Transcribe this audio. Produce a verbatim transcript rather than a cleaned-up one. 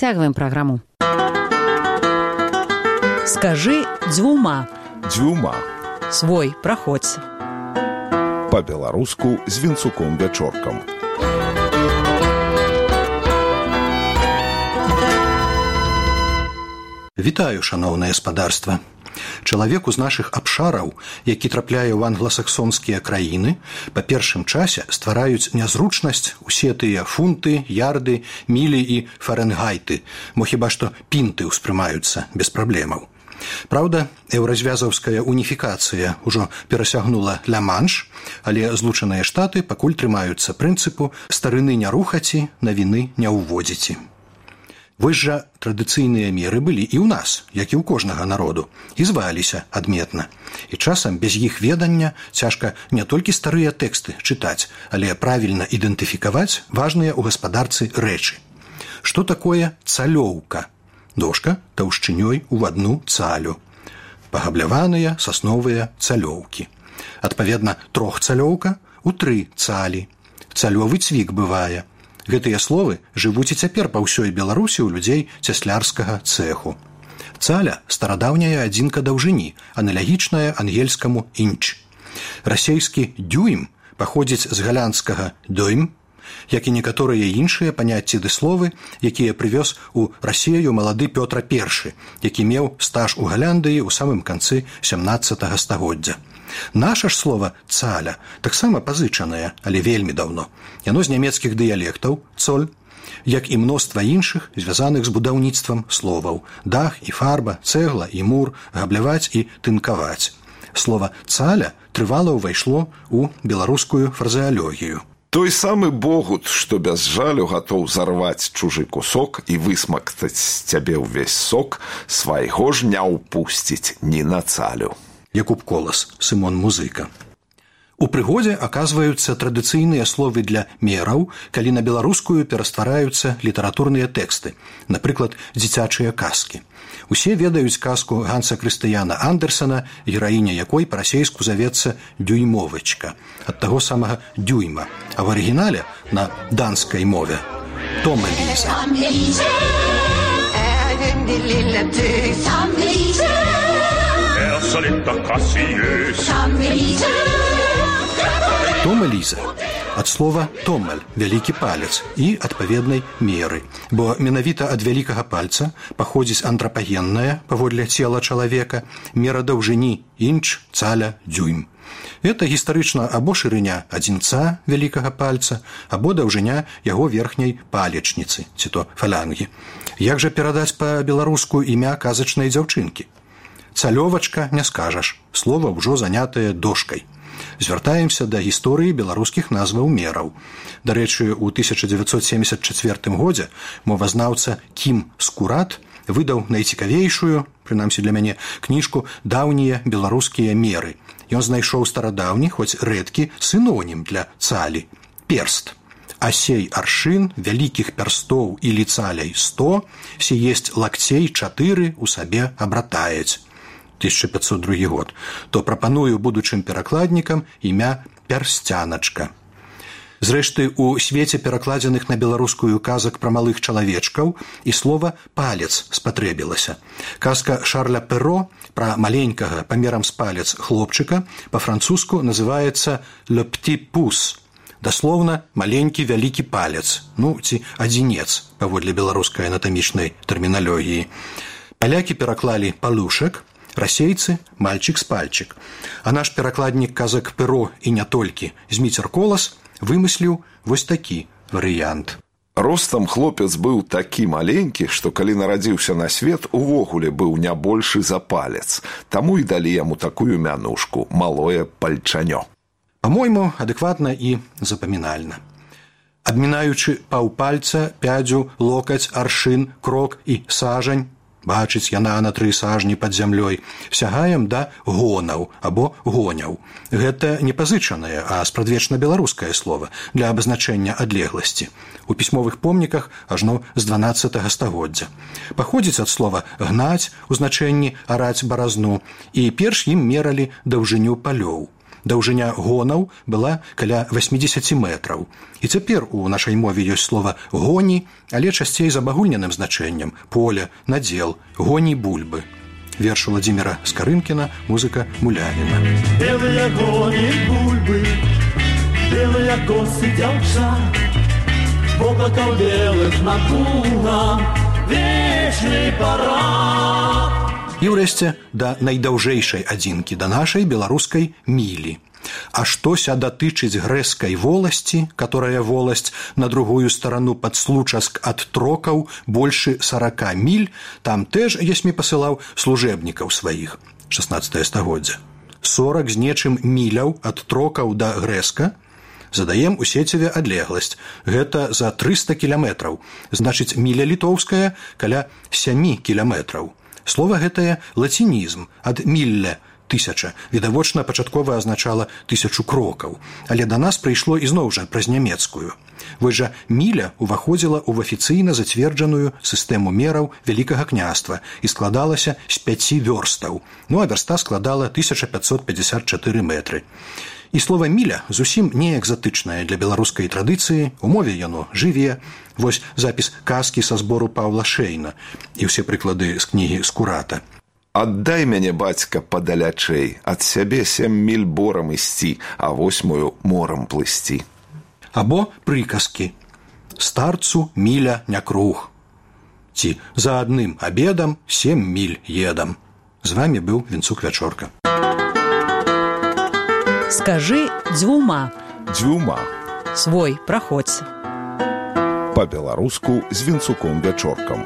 Цягваем праграму. Скажы дзвюма. Дзвюма. Свой, праходзь. Па-беларуску з Вінцуком Вячоркам. Вітаю, шаноўнае гаспадарства. Чалавеку з нашых абшараў, які трапляе ў англасаксонскія краіны, па першым часе ствараюць нязручнасць усе тыя фунты, ярды, мілі і фарэнгайты, мо хіба што пінты ўспрымаюцца без праблемаў. Праўда, еўразвязаўская уніфікацыя ўжо перасягнула Ля-Манш, але Злучаныя Штаты пакуль трымаюцца прынцыпу «старыны не рухаці, навіны не ўводзіці». Вось жа традыцыйныя меры былі і ў нас, як і ў кожнага народу, і зваліся адметна. І часам без іх ведання цяжка не толькі старыя тэксты чытаць, але правільна ідэнтыфікаваць важныя ў гаспадарцы рэчы. Што такое цалёўка? Дошка таўшчынёй у адну цалю. Пагабляваныя сасновыя цалёўкі. Адпаведна, трохцалёўка у тры цалі. Цалёвы цвік бывае. Гэтыя словы жывуць і цяпер па ўсёй Беларусі ў людзей цяслярскага цэху. Цаля – старадаўняя адзінка даўжыні, аналагічная ангельскаму інч. Расейскі дюйм паходзіць з галандскага дойм, як і некаторыя іншыя паняцці ды словы, якія прывёз у Расею малады Пётр Першы, які меў стаж у Галяндыі ў самым канцы сямнаццатага стагоддзя. Наша ж слова «цаля» таксама пазычанае, але вельмі даўно. Яно з нямецкіх дыялектаў «цоль», як і мноства іншых, звязаных з будаўніцтвам словаў «дах» і «фарба», «цэгла» і «мур», «габляваць» і «тынкаваць». Слова «цаля» трывала ўвайшло ў беларускую фразеалогію. Той самы богут, што без жалю гатоў зарваць чужы кусок і высмактаць з цябе ўвесь сок, свайго ж не ўпусціць ні на цалю. Якуб Колас, Сымон Музыка. У прыгодзе аказваюцца традыцыйныя словы для мераў, калі на беларускую пераствараюцца літаратурныя тэксты, напрыклад, дзіцячыя казкі. Усе ведаюць казку Ганса Крыстыяна Андерсена, гераіня якой па-расейску завецца «дюймовачка», ад таго самага «дюйма», а в арыгінале на данскай мове «Тома Ліза». Тома Ліза ад слова «томель» – «вялікі палец» і адпаведнай меры, бо менавіта ад вялікага пальца паходзіць антрапагенная, паводле цела чалавека, мера даўжыні інч, цаля, дюйм. Гэта гістарычна або шырыня адзінца вялікага пальца, або даўжыня яго верхняй палечніцы, ці то фалянгі. Як жа перадаць па-беларуску імя казачнай дзяўчынкі? Цалёвачка не скажаш, слова ўжо занятае дошкай. Звяртаемся да гісторыі беларускіх назваў мераў. Дарэчы, у тысяча дзевяцьсот семьдесят чацвёртым годзе мовазнаўца Кім Скурат выдаў найцікавейшую, прынамсі для мяне, кніжку «Даўнія беларускія меры». Ён знайшоў старадаўні, хоць рэдкі, сінонім для цалі – перст. А сей аршын вялікіх перстоў или цалей сто, сі есть лакцей чатыры у сабе абратаець. тысяча пятьсот другі год, то прапаную будучым перакладнікам імя «Персцяначка». Зрэшты, у свеце перакладзеных на беларускую казак пра малых чалавечкаў і слова «палец» спатрэбілася. Казка Шарля Перро пра маленькага памерам з палец хлопчыка па-французску называецца «le petit pouce», даслоўна «маленькі вялікі палец», ну, ці «адзінец», паводле беларускай анатамічнай тэрміналогіі. Палякі пераклалі «палушек», расейцы – «мальчик з пальчик». А наш перакладнік казак Перо і не толькі Зміцер Колас вымысліў вось такі варыянт. Ростам хлопец быў такі маленькі, што калі нарадзіўся на свет, увогуле быў не большы за палец. Таму і далі яму такую мянушку – малое пальчанё. Па-мойму, адэкватна і запамінальна. Абмінаючы паўпальца, пядзю, локаць, аршын, крок і сажань, бачыць яна на тры сажні пад зямлёй, сягаем да гонаў або гоняў. Гэта не пазычанае, а спрадвечна беларускае слова для абазначэння адлегласці. У пісьмовых помніках ажно з дванаццатага стагоддзя. Паходзіць ад слова «гнаць» у значэнні «араць баразну», і перш ім мералі даўжыню палёў. Даўжыня гонаў была каля восемьдесят метраў. І цяпер у нашай мове ёсць слова «гоні», але часцей з абагульненым значэннем – поле, надзел, гоні бульбы. Верш Владимира Скарынкіна, музыка Мулявіна. Белыя гоні бульбы, белыя косы дзяўчат, воблакаў белых над лугам, вечны парад. І ўрэшце да найдаўжэйшай адзінкі, да нашай беларускай мілі. А штося датычыць грэскай воласці, которая воласць на другую старану пад случаск ад трокаў большы сорока міль, там тэж Есмі пасылаў служэбнікаў сваіх, шаснаццатае стагоддзе. сорок з нечым міляў ад трокаў да грэска, задаем у сеціве адлегласць. Гэта за трыста кіламетраў, значыць міля літоўская каля сямі кіламетраў. Слова гэтае лацінізм ад мілля, тысяча, відавочна пачаткова азначала тысячу крокаў, але да нас прыйшло ізноў жа праз нямецкую. Вось жа міля уваходзіла ў афіцыйна зацверджаную сістэму мераў Вялікага княства і складалася з пяці вёрстаў, ну а вярста складала тысяча пятьсот пятьдесят четыре метры. І слова «міля» зусім не экзатычнае для беларускай традыцыі, у мове яно жыве. Вось запіс казкі са збору Паўла Шэйна і ўсе прыклады з кнігі Скурата. «Аддай мяне, бацька, падалячэй, ад сябе сем міль борам ісці, а восьмую морам плысці». Або прыказкі «Старцу міля не круг» ці «За адным абедам сем міль едам». З вамі быў Вінцук Вячорка. Скажы дзвюма. Дзвюма. Свой праходзь. Па-беларуску з Вінцуком Вячоркам.